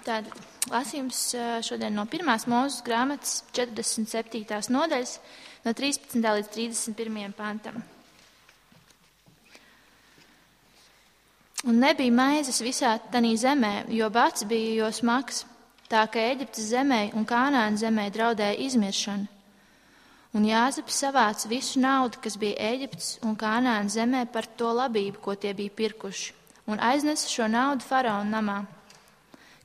Tātad lasījums šodien no 1. Mūzes grāmatas 47. nodaļas no 13. līdz 31. pantam. Un nebija maizes visā tanī zemē, jo bats bija jo smags, tā ka Ēģiptes zemē un Kānāna zemē draudēja izmiršana. Un Jāzeps savāca visu naudu, kas bija Ēģiptes un Kānāna zemē par to labību, ko tie bija pirkuši, un aiznesa šo naudu faraona namā.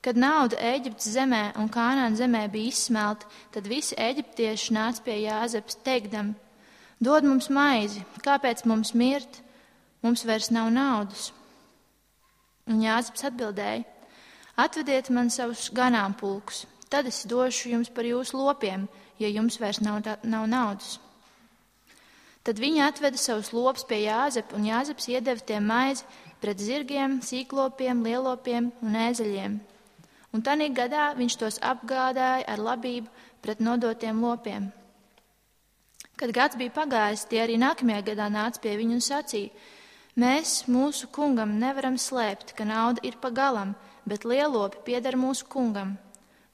Kad nauda Ēģiptes zemē un Kānāna zemē bija izsmelta, tad visi eģiptieši nāca pie Jāzeps, teikdam: dod mums maizi, kāpēc mums mirt, mums vairs nav naudas. Un Jāzeps atbildēja: atvediet man savus ganāmpulkus, tad es došu jums par jūsu lopiem, ja jums vairs nav naudas. Tad viņi atveda savus lopus pie Jāzepa, un Jāzeps iedeva tiem maizi pret zirgiem, sīklopiem, lielopiem un ēzeļiem. Un tanī gadā viņš tos apgādāja ar labību pret nodotiem lopiem. Kad gads bija pagājis, tie arī nākamajā gadā nāca pie viņu un sacīja: mēs mūsu kungam nevaram slēpt, ka nauda ir pa galam, bet lielopi pieder mūsu kungam.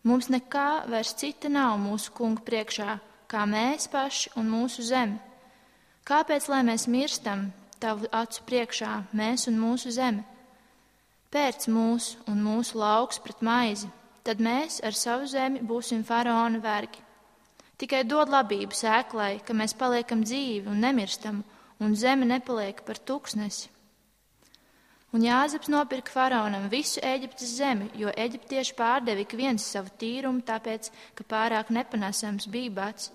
Mums nekā vairs cita nav mūsu kunga priekšā, kā mēs paši un mūsu zeme. Kāpēc, lai mēs mirstam tavu acu priekšā, mēs un mūsu zeme? Pērc mūsu un mūsu lauks pret maizi, tad mēs ar savu zemi būsim faraona vergi. Tikai dod labību sēklai, ka mēs paliekam dzīvi un nemirstam, un zeme nepaliek par tuksnesi. Un Jāzeps nopirka faraonam visu Ēģiptes zemi, jo eģiptieši pārdeva ik viens savu tīrumu, tāpēc, ka pārāk nepanesams bija bats.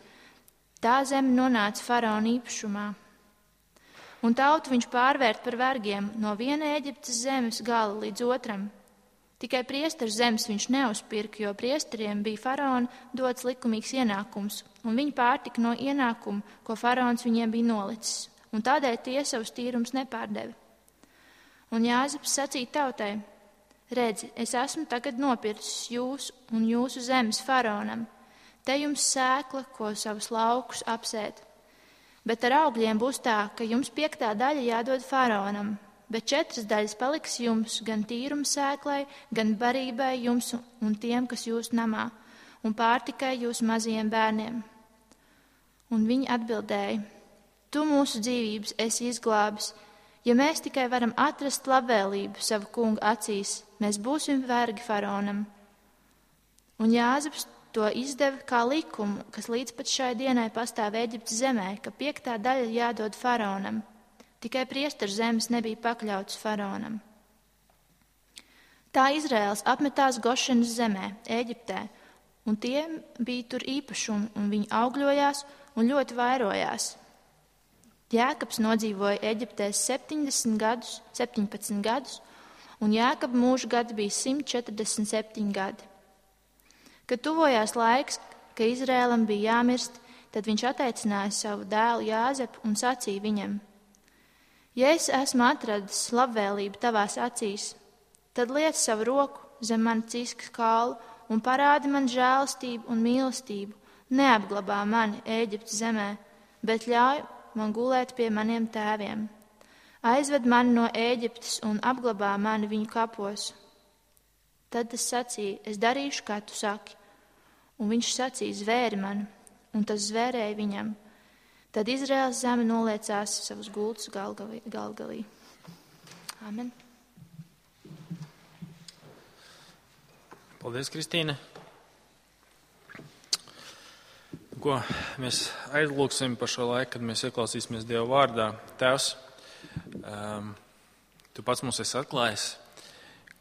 Tā zeme nonāca faraona īpašumā. Un tautu viņš pārvērt par vergiem no viena Ēģiptes zemes gala līdz otram. Tikai priesteru zemes viņš neuzpirka, jo priesteriem bija faraona dots likumīgs ienākums, un viņi pārtika no ienākuma, ko faraons viņiem bija nolicis, un tādēļ tie savus tīrumus nepārdeva. Un Jāzeps sacīja tautai: redzi, es esmu tagad nopircis jūs un jūsu zemes faraonam. Te jums sēkla, ko savus laukus apsēt. Bet ar augļiem būs tā, ka jums 5. daļa jādod faraonam, bet 4 daļas paliks jums, gan tīruma sēklai, gan barībai jums un tiem, kas jūs namā, un pārtikai jūs mazajiem bērniem. Un viņi atbildēja: tu mūsu dzīvības esi izglābis. Ja mēs tikai varam atrast labvēlību savu kunga acīs, mēs būsim vergi faraonam. Un Jāzeps to izdeva kā likumu, kas līdz pat šai dienai pastāv Ēģiptes zemē, ka 5. daļa jādod faraonam. Tikai priesteru zemes nebija pakļauts faraonam. Tā Izraēls apmetās Gošenas zemē, Ēģiptē, un tie bija tur īpašumi, un viņi augļojās un ļoti vairojās. Jēkabs nodzīvoja Eģiptē 17 gadus, un Jēkaba mūža gadi bija 147 gadi. Kad tuvojās laiks, ka Izrēlam bija jāmirst, tad viņš atteicināja savu dēlu Jāzepu un sacīja viņam: ja es esmu atradis labvēlību tavās acīs, tad liec savu roku zem mana ciskas kaulu un parādi man žēlastību un mīlestību, neapglabā mani Ēģiptes zemē, bet ļauj man gulēt pie maniem tēviem. Aizved mani no Ēģiptes un apglabā mani viņu kapos. Tad es sacīju: es darīšu, kā tu saki. Un viņš sacīja: zvēri mani, un tas zvērēja viņam. Tad Izraēlas zeme noliecās savus gultus Galgalī. Amen. Paldies, Kristīne. Ko mēs aizlūksim par šo laiku, kad mēs ieklausīsimies Dieva vārdā. Tēvs, tu pats mums esi atklājis,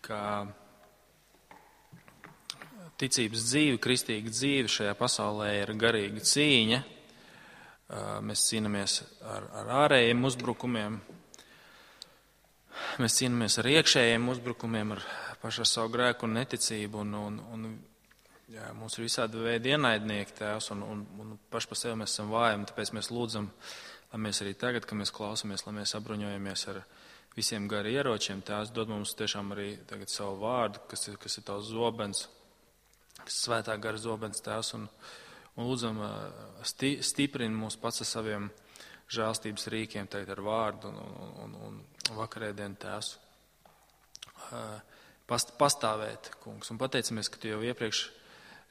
ka ticības dzīve, kristīga dzīve šajā pasaulē ir garīga cīņa. Mēs cīnāmies ar ārējiem uzbrukumiem, mēs cīnāmies ar iekšējiem uzbrukumiem, ar pašu savu grēku un neticību, un mums ir visādi veidi ienaidnieki, Tēvs, un paši par sevi mēs esam vāji, un tāpēc mēs lūdzam, lai mēs arī tagad, kad mēs klausamies, lai mēs apbruņojamies ar visiem gari ieročiem. Tēvs, dod mums tiešām arī tagad savu vārdu, kas ir tavs zobens, kas ir svētā gara zobens, Tēvs, un lūdzam stiprini mūs pats ar saviem žēlstības rīkiem, tagad ar vārdu un vakarēdienu, Tēvs. pastāvēt, kungs. Un pateicamies, ka tu jau iepriekš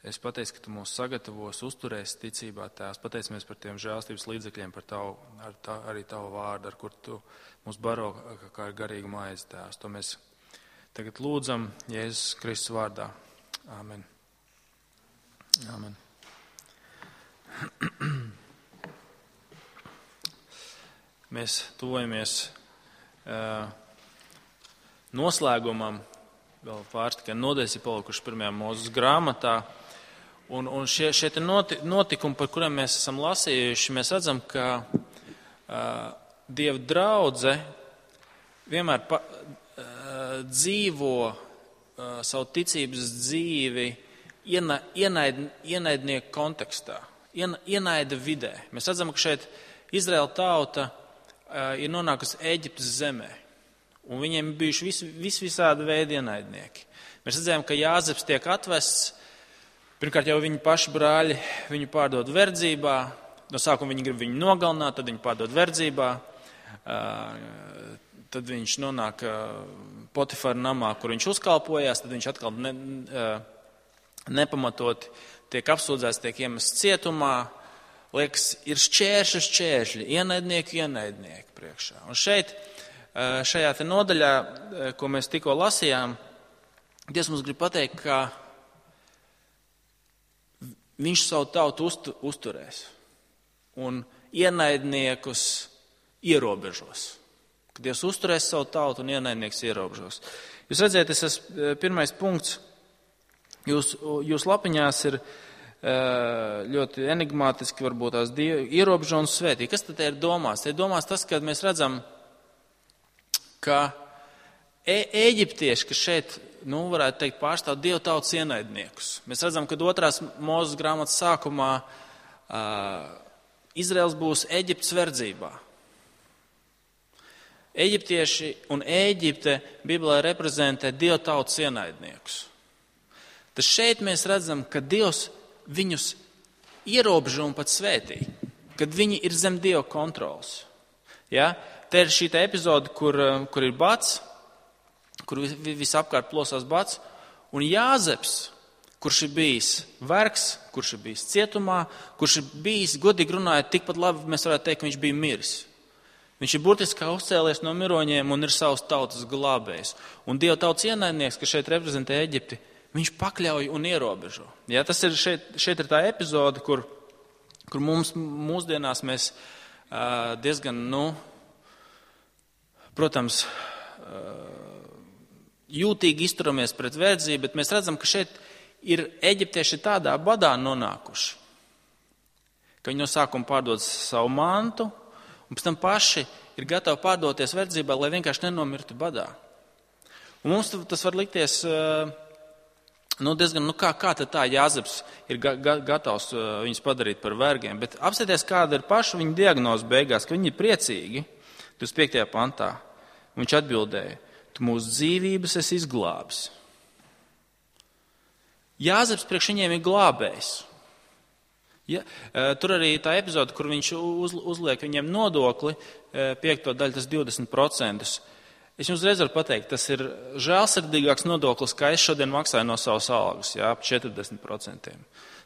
esi pateicis, ka tu mūs sagatavos, uzturēsi ticībā, Tēvs. Pateicamies par tiem žēlstības līdzekļiem, arī tavu vārdu, ar kur tu mūs baro kā garīgu maizi, Tēvs. To mēs tagad lūdzam Jēzus Kristus vārdā. Āmen. Āmen. Mēs tuvojamies noslēgumam, vēl pāris tikai nodaļas ir palikušas 1. Mūzes grāmatā. Un šie notikumi, par kuriem mēs esam lasījuši, mēs redzam, ka Dieva draudze vienmēr dzīvo savu ticības dzīvi ienaidnieku kontekstā, ienaida vidē. Mēs redzam, ka šeit Izraēla tauta ir nonākusi Ēģiptes zemē, un viņiem bijuši visādi veidi ienaidnieki. Mēs redzējām, ka Jāzeps tiek atvests, pirmkārt jau viņa paši brāļi viņu pārdod verdzībā, no sākuma viņi grib viņu nogalināt, tad viņu pārdod verdzībā, tad viņš nonāk Potifara namā, kur viņš uzkalpojās, tad viņš atkal nepamatot tiek apsūdzēts, tiek iemests cietumā. Liekas, ir šķēršļi, ienaidnieki priekšā. Un šeit, šajā te nodaļā, ko mēs tikko lasījām, Dievs mums grib pateikt, ka viņš savu tautu uzturēs un ienaidniekus ierobežos. Kad Dievs uzturēs savu tautu un ienaidnieks ierobežos. Jūs redzēt, tas ir pirmais punkts. Jūs lapiņās ir ļoti enigmātiski varbūt tās ierobežo un svētī. Kas tad ir domās? Te ir domās tas, ka mēs redzam, ka Ēģiptieši, kas šeit, varētu teikt, pārstāv Dieva tautas ienaidniekus. Mēs redzam, ka 2. Mūzes grāmatas sākumā Izraels būs Ēģiptes verdzībā. Ēģiptieši un Ēģipte Bībelē reprezentē Dieva tautas ienaidniekus. Tad šeit mēs redzam, ka Dievs viņus ierobežo un pat svētī, kad viņi ir zem Dieva kontrols. Ja? Te ir šī epizode, kur ir bats, kur visapkārt plosās bats, un Jāzeps, kurš ir bijis vergs, kurš ir bijis cietumā, kurš ir bijis, godīgi runājot, tikpat labi mēs varētu teikt, ka viņš bija miris. Viņš ir burtiski uzcēlies no miroņiem un ir savas tautas glābējs. Un Dieva tautas ienaidnieks, kas šeit reprezentē Eģipti, viņš pakļauj un ierobežo. Ja, tas ir šeit ir tā epizode, kur mūsdienās mēs diezgan, protams, jūtīgi izturamies pret verdzību, bet mēs redzam, ka šeit ir eģiptieši tādā badā nonākuši, ka viņi no sākuma pārdod savu mantu, un pēc tam paši ir gatavi pārdoties verdzībā, lai vienkārši nenomirtu badā. Un mums tas var likties diezgan, kā tad tā Jāzeps ir gatavs viņus padarīt par vergiem, bet apsieties, kāda ir paša viņa diagnoze beigās, ka viņi ir priecīgi, 25. pantā. Viņš atbildēja, tu mūsu dzīvības esi izglābis. Jāzeps priekš viņiem ir glābējs. Ja, tur arī tā epizode, kur viņš uzliek viņiem nodokli, 5. daļu, tas 20%. Es jums reiz varu pateikt, tas ir žēlsirdīgāks nodoklis, kā es šodien maksāju no savas algas, ap 40%.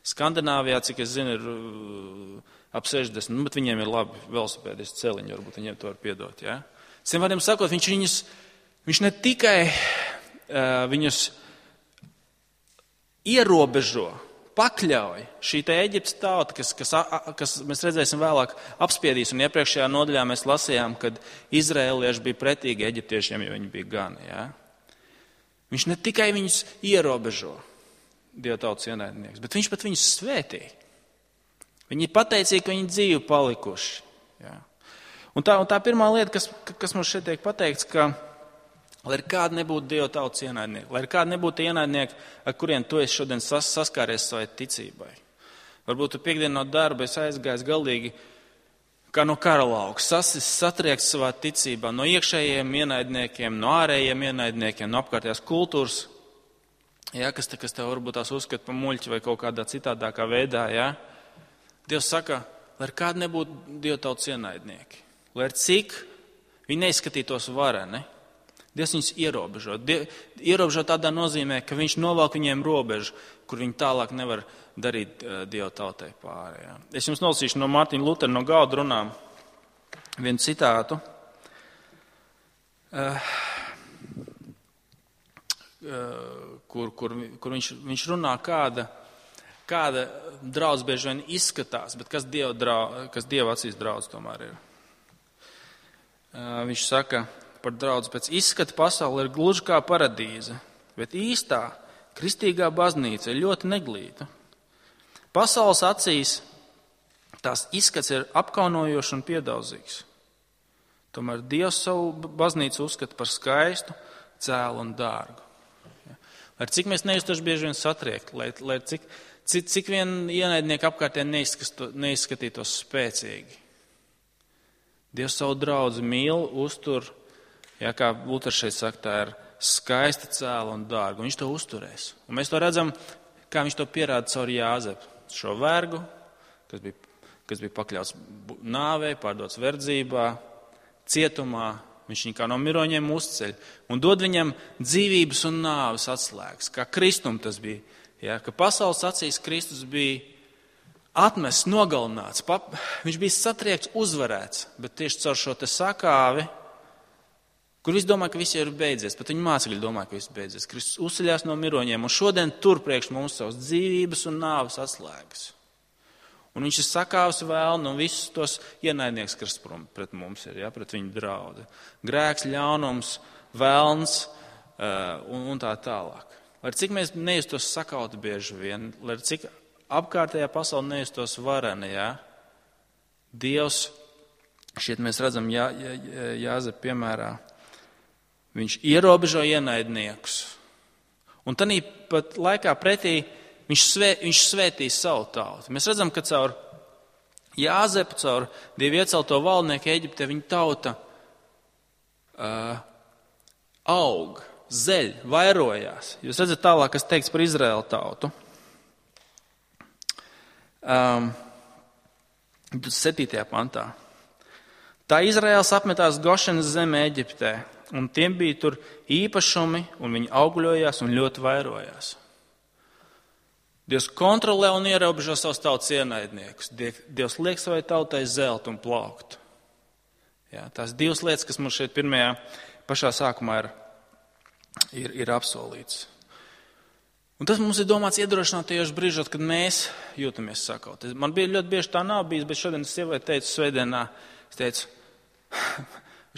Skandināvijā, cik es zinu, ir ap 60%, bet viņiem ir labi velosipēdisti celiņi, varbūt viņiem to var piedot. Ja? Citiem vārdiem sakot, viņš ne tikai viņus ierobežo, pakļauj šī te Eģiptes tauta, kas mēs redzēsim vēlāk apspiedīs, un iepriekšējā nodaļā mēs lasījām, kad izraēlieši bija pretīgi eģiptiešiem, jo viņi bija gani. Ja? Viņš ne tikai viņus ierobežo, Dieva tautas ienaidnieks, bet viņš pat viņus svētī. Viņi ir pateicīgi, ka viņi dzīvi palikuši. Ja? Un tā pirmā lieta, kas mums šeit tiek pateikts, ka, lai kāda nebūtu Dieva tautas ienaidnieki, lai kāda nebūtu ienaidnieki, ar kuriem tu esi šodien saskāries savai ticībai. Varbūt tu piekdien no darba esi aizgājis galīgi kā no kara lauka, satriekts savā ticībā no iekšējiem ienaidniekiem, no ārējiem ienaidniekiem, no apkārtējās kultūras, ja, kas tev varbūt tās uzskata par muļķi vai kaut kādā citādākā veidā. Ja. Dievs saka, lai kāda nebūtu Dieva tautas ienaidnieki. Lai cik viņi neizskatītos vareni, Dievs viņus ierobežo. Ierobežo tādā nozīmē, ka viņš novelk viņiem robežu, kur viņi tālāk nevar darīt Dieva tautai pāri. Jā. Es jums nolasīšu no Mārtiņa Lutera no galda runām vienu citātu. Kur viņš runā, kāda draudz bieži vien izskatās, bet kas Dieva acīs draudz tomēr ir. Viņš saka par draudz, pēc izskata pasaule ir gluži kā paradīze, bet īstā kristīgā baznīca ir ļoti neglīta. Pasaules acīs tās izskats ir apkaunojošs un piedauzīgs. Tomēr Dievs savu baznīcu uzskata par skaistu, cēlu un dārgu. Lai cik mēs nejustuši bieži vien satriekt, lai cik vien ienaidnieki apkārtē neizskatītos spēcīgi. Dievs savu draudzi mīl, uztur, kā Luters šeit saka, tā ir skaista, cēla un dārga. Viņš to uzturēs. Un mēs to redzam, kā viņš to pierāda caur Jāzepu. Šo vergu, kas bija pakļauts nāvei, pārdots verdzībā, cietumā, viņš viņu kā no miroņiem uzceļ un dod viņam dzīvības un nāves atslēgas, kā Kristum tas bija. Ja, ka pasaules acīs Kristus bija atmests, nogalināts, viņš bija satriekts, uzvarēts, bet tieši caur šo te sakāvi, kur visi domā, ka viss ir beidzies, pat viņa mācekļi domā, ka viss beidzies. Kristus uzceļās no miroņiem un šodien tur priekš mums savas dzīvības un nāves atslēgas. Un viņš ir sakāvis vēlnu un visus tos ienaidnieks, kas pret mums ir, pret viņu draudi. Grēks, ļaunums, vēlns un tā tālāk. Lai cik mēs nejustos sakauti bieži vien, lai cik apkārtējā pasaule nejustos vareni, Dievs, šeit mēs redzam Jāzepa piemērā, viņš ierobežo ienaidniekus. Un tanī pat laikā pretī viņš svētīs savu tautu. Mēs redzam, ka caur Jāzepu, caur Dievu iecelto valdnieku Eģiptē, viņa tauta aug, zeļ, vairojās. Jūs redzat tālāk, kas teikts par Izraēlu tautu. 7. pantā. Tā Izraēls apmetās Gošenas zemē Eģiptē, un tiem bija tur īpašumi, un viņi augļojās un ļoti vairojās. Dievs kontrolē un ierobežo savus tautas ienaidniekus. Dievs liek savai tautai zelt un plaukt. Tās divas lietas, kas mums šeit pašā sākumā ir apsolīts. Un tas mums ir domāts iedrošināt tajos brīžos, kad mēs jūtamies sakauti. Man bija ļoti bieži tā nav bijis, bet šodien es sievai teicu svētdienā, es teicu,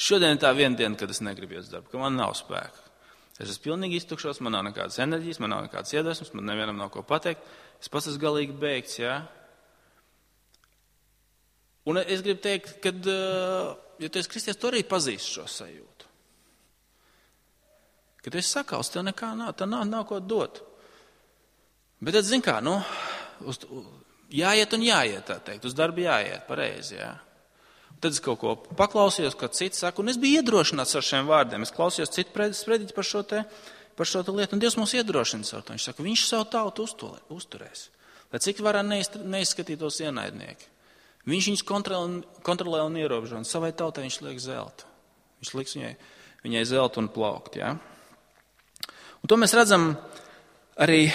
šodien ir tā viena diena, kad es negribu iet uz darbu, ka man nav spēka. Es esmu pilnīgi iztukšos, man nav nekādas enerģijas, man nav nekādas iedvesmas, man nevienam nav ko pateikt. Es pats esmu galīgi beigts, Un es gribu teikt, ka, ja tu esi kristietis, tu arī pazīsti šo sajūtu. Kad tu esi sakauts, tev nekā nav, tev nav ko dot. Bet tad, zin kā, jāiet un jāiet, tā teikt, uz darbu jāiet, pareizi, Tad es kaut ko paklausījos, ko cits saka, un es biju iedrošināts ar šiem vārdiem. Es klausījos citu sprediķi par šo te lietu, un Dievs mūs iedrošina ar to. Viņš saka, viņš savu tautu uzturēs. Lai cik varā neizskatītos ienaidnieki. Viņš viņus kontrolē un ierobežo, un savai tautai viņš liek zeltu. Viņš liks viņai zeltu un plaukt, Un to mēs redzam arī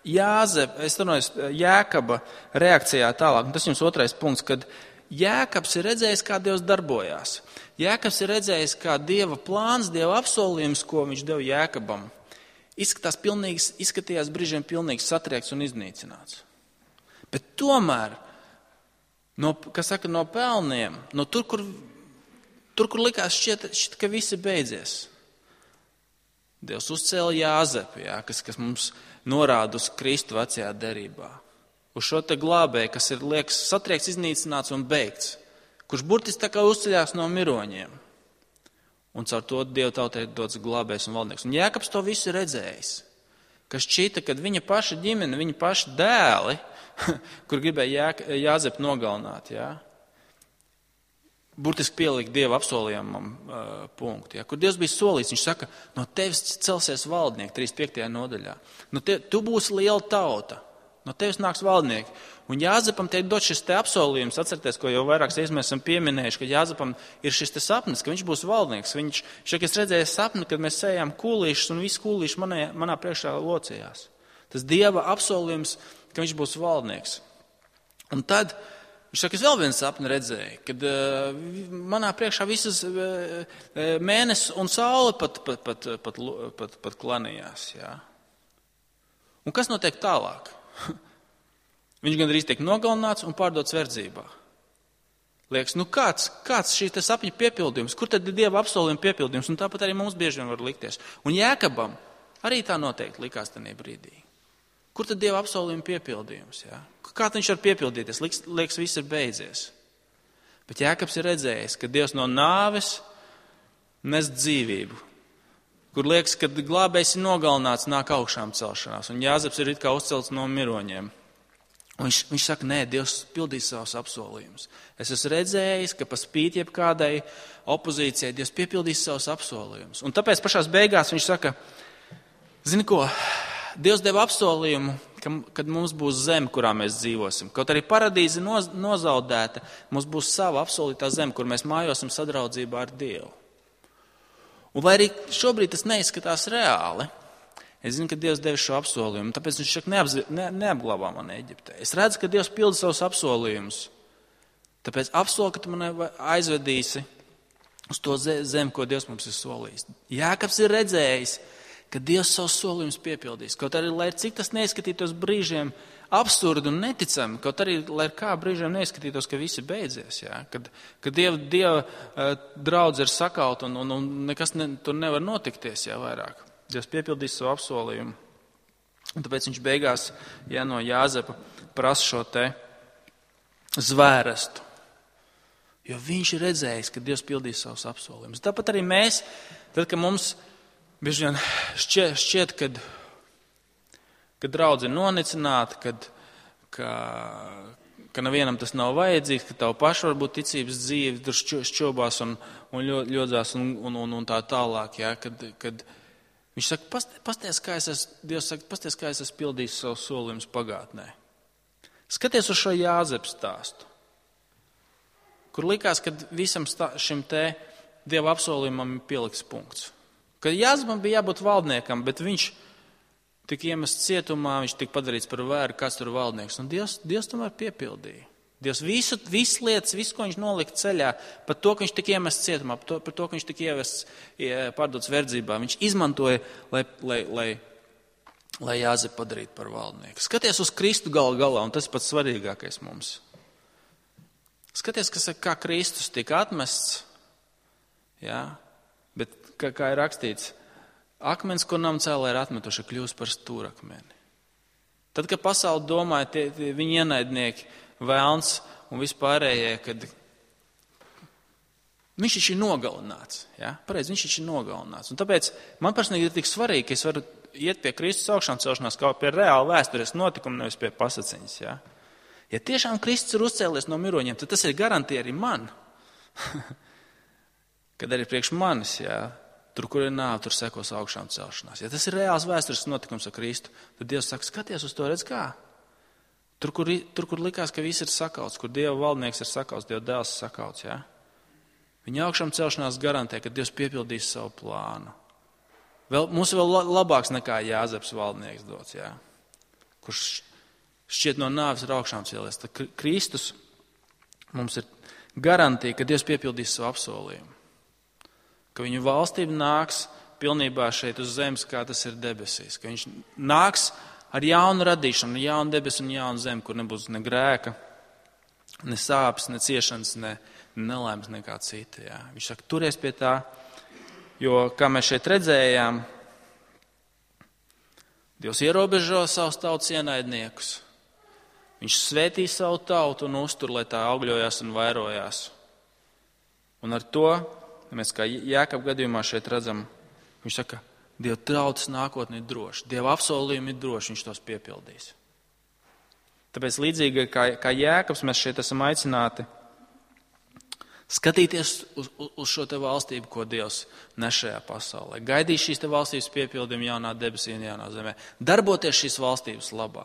Jēkaba reakcijā tālāk. Un tas jums otrais punkts, kad Jēkabs ir redzējis, kā Dievs darbojās. Jēkabs ir redzējis, kā Dieva plāns, Dieva apsolījums, ko viņš deva Jēkabam, izskatījās brīžiem pilnīgi satriekts un iznīcināts. Bet tomēr, no pelniem, tur, kur likās šķiet, ka visi beidzies, Dievs uzcēla Jāzepu, kas mums norāda uz Kristu vecajā derībā. Uz šo te glābēju, kas ir liekas satriekts, iznīcināts un beigts, kurš burtiski tā kā uzceļās no miroņiem. Un caur to Dieva tautai ir dots glābējs un valdnieks. Un Jēkabs to visu redzējis, ka šķita, kad viņa paša ģimene, viņa paša dēli, kur gribēja Jāzepu nogalināt, burtiski pielikt Dieva apsolījumam punktu. Kur Dievs bija solījis, viņš saka, no tevis celsies valdnieki, 35. nodaļā. Tu būsi liela tauta. No tevis nāks valdnieki. Un Jāzepam tiek dot šis te apsolījums. Atcerieties, ko jau vairākas reizes mēs esam pieminējuši, ka Jāzepam ir šis te sapnis, ka viņš būs valdnieks. Viņš saka, es redzēju sapni, kad mēs sējām kūlīšus un visi kūlīši manā priekšā locījās. Tas Dieva apsolījums, ka viņš būs valdnieks. Un tad viņš saka, es vēl vienu sapni redzēju, kad manā priekšā visas mēnesis un saule pat klanījās. Jā. Un kas notiek tālāk? Viņš gandrīz tiek nogalināts un pārdots verdzībā. Liekas, kāds šī sapņa piepildījums? Kur tad ir Dieva apsolījuma piepildījums? Un tāpat arī mums bieži vien var likties. Un Jēkabam arī tā noteikti likās tajā brīdī. Kur tad Dieva apsolījuma piepildījums? Jā? Kā viņš var piepildīties? Liekas, viss ir beidzies. Bet Jēkabs ir redzējis, ka Dievs no nāves nes dzīvību. Kur liekas, kad glābējs ir nogalināts, nāk augšām celšanās. Un Jāzeps ir it kā uzcelts no miroņiem. Un viņš saka, nē, Dievs pildīs savus apsolījumus. Es esmu redzējis, ka pa spīti jebkādai opozīcijai Dievs piepildīs savus apsolījumus. Un tāpēc pašās beigās viņš saka, zini ko, Dievs deva apsolījumu, kad mums būs zeme, kurā mēs dzīvosim. Kaut arī paradīze nozaudēta, mums būs sava apsolītā zeme, kur mēs mājosim sadraudzībā ar Dievu. Un lai arī šobrīd tas neizskatās reāli, es zinu, ka Dievs deva šo apsolījumu, tāpēc viņš saka, neapglabā mani Eģiptē. Es redzu, ka Dievs pilda savus apsolījumus. Tāpēc apsolu, ka tu mani aizvedīsi uz to zemi, ko Dievs mums ir solījis. Jākabs ir redzējis, ka Dievs savus solījumus piepildīs. Kaut arī, lai cik tas neizskatītos brīžiem absurdi un neticami, kaut arī, lai kā brīžiem neizskatītos, ka visi beidzies. Jā? Kad Dieva draudze ir sakauta un nekas tur nevar notikties jā, vairāk. Dievs piepildīs savu apsolījumu. Un tāpēc viņš beigās no Jāzepa prasa šo te zvērestu. Jo viņš ir redzējis, ka Dievs pildīs savus apsolījumus. Tāpat arī mēs, tad, kad mums bieži vien šķiet, kad draudze ir nonicināta, ka nevienam tas nav vajadzīgs, ka tavu pašu varbūt ticības dzīve tur šķobās un ļodzās un tā tālāk. Jā, kad viņš saka, Dievs saka, pasties, kā es esmu pildījis savus solījumus pagātnē. Skaties uz šo Jāzepu stāstu, kur likās, ka visam šim te Dieva apsolījumam ir pieliks punkts. Kad Jāzepam bija jābūt valdniekam, bet viņš tika iemests cietumā, viņš tika padarīts par vēru, kāds tur valdnieks. Un Dievs tomēr piepildīja. Dievs visas lietas, visu, ko viņš nolika ceļā, par to, ka viņš tika iemests cietumā, par to, ka viņš tika pārdots verdzībā, viņš izmantoja, lai Jāzepu padarītu par valdnieku. Skaties uz Kristu galā, un tas ir pats svarīgākais mums. Skaties, kā Kristus tika atmests, jā, bet kā ir rakstīts, akmens, ko namcēlē ir atmetuši, kļūst par stūrakmeni. Tad, kad pasauli domāja, viņi ienaidnieki, vēlns un vispārējie, kad viņš taču ir nogalināts. Ja? Pareizi, viņš taču ir nogalināts. Un tāpēc man personīgi ir tik svarīgi, ka es varu iet pie Kristus augšām celšanās kā pie reāla vēstures notikuma, nevis pie pasaciņas. Ja? Ja tiešām Kristus ir uzcēlies no miroņiem, tad tas ir garantija arī man. Kad arī priekš manis, ja? Tur, kur ir nāve, tur sekos augšām celšanās. Ja tas ir reāls vēstures notikums ar Kristu, tad Dievs saka, skaties uz to, redz kā. Tur, kur likās, ka viss ir sakauts, kur Dieva valdnieks ir sakauts, Dieva dēls ir sakauts, jā. Viņa augšām celšanās garantē, ka Dievs piepildīs savu plānu. Mums vēl labāks nekā Jāzeps valdnieks dots, jā. Kurš šķiet no nāves ir augšām cēlies. Tad Kristus mums ir garantija, ka Dievs piepildīs savu apsolījumu. Ka viņu valstība nāks pilnībā šeit uz zemes, kā tas ir debesīs. Ka viņš nāks ar jaunu radīšanu, jaunu debesu un jaunu zemi, kur nebūs ne grēka, ne sāpes, ne ciešanas, ne nelaimes, nekā cita. Jā. Viņš saka, turies pie tā, jo, kā mēs šeit redzējām, Dievs ierobežo savus tautas ienaidniekus. Viņš svētī savu tautu un uztur, lai tā augļojās un vairojās. Un ar to, mēs kā Jākaba gadījumā šeit redzam, viņš saka, Dieva tautas nākotne ir droša, Dieva apsolījumi ir droši, viņš tos piepildīs. Tāpēc līdzīgi kā Jākabs mēs šeit esam aicināti skatīties uz šo te valstību, ko Dievs nes šajā pasaulē. Gaidīt šīs te valstības piepildījumu jaunā debesī un jaunā zemē. Darboties šīs valstības labā.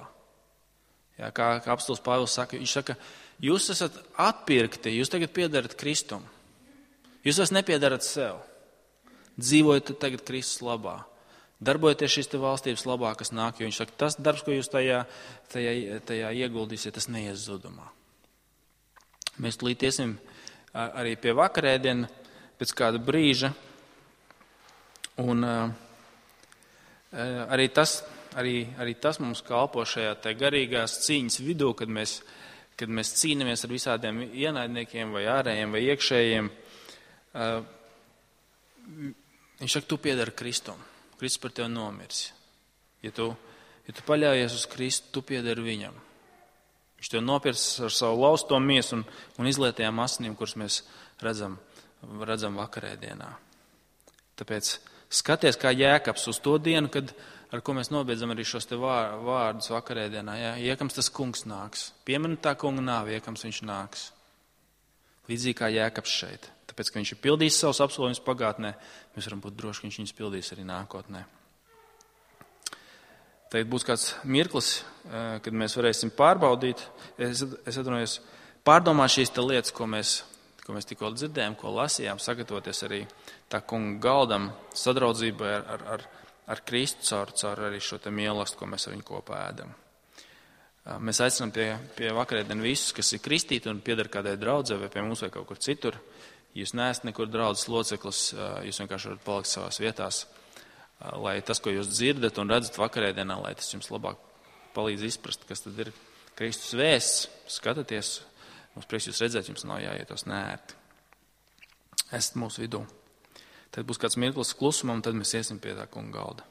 Jā, kā apostuls Pāvils saka, viņš saka, jūs esat atpirkti, jūs tagad piedarat Kristum. Jūs vairs nepiedarat sev. Dzīvojat tagad Kristus labā. Darbojieties šīs te valstības labā, kas nāk, jo viņš saka, tas darbs, ko jūs tajā ieguldīsiet, tas neies zudumā. Mēs tūlīt iesim arī pie vakarēdiena pēc kāda brīža. Un arī tas mums kalpo šajā te garīgās cīņas vidū, kad mēs cīnamies ar visādiem ienaidniekiem vai ārējiem vai iekšējiem. Viņš saka, tu piedari Kristum. Kristus par tevi nomirs. Ja tu paļaujies uz Kristu, tu piedari viņam. Viņš tevi nopirks ar savu lausto miesu un izlietajām asinīm, kuras mēs redzam vakarēdienā. Tāpēc skaties kā Jēkabs uz to dienu, ar ko mēs nobeidzam arī šos te vārdus vakarēdienā. Jā, iekams tas kungs nāks. Piemini tā kunga nāvi, iekams viņš nāks. Līdzīgi kā Jēkabs šeit. Tāpēc, ka viņš ir pildījis savus apsolījumus pagātnē, mēs varam būt droši, ka viņš viņus pildīs arī nākotnē. Tagad būs kāds mirklis, kad mēs varēsim pārbaudīt, es atvainojos, pārdomāt šīs te lietas, ko mēs tikko dzirdējām, ko lasījām, sagatavoties arī tā kunga galdam, sadraudzībai ar Kristu caur arī šo te mīlestību, ko mēs ar viņu kopā ēdam. Mēs aicinām pie vakarēdienu visus, kas ir kristīti un pieder kādai draudzē vai pie mums vai kaut kur citur. Jūs neesat nekur draudzes loceklis, jūs vienkārši varat palikt savās vietās, lai tas, ko jūs dzirdat un redzat vakarēdienā, lai tas jums labāk palīdz izprast, kas tad ir Kristus vēsts. Skatieties, mums prieks jūs redzēt, jums nav jāietos neērti. Esat mūsu vidū. Tad būs kāds mirklis klusumam, un tad mēs iesim pie tā kunga galda.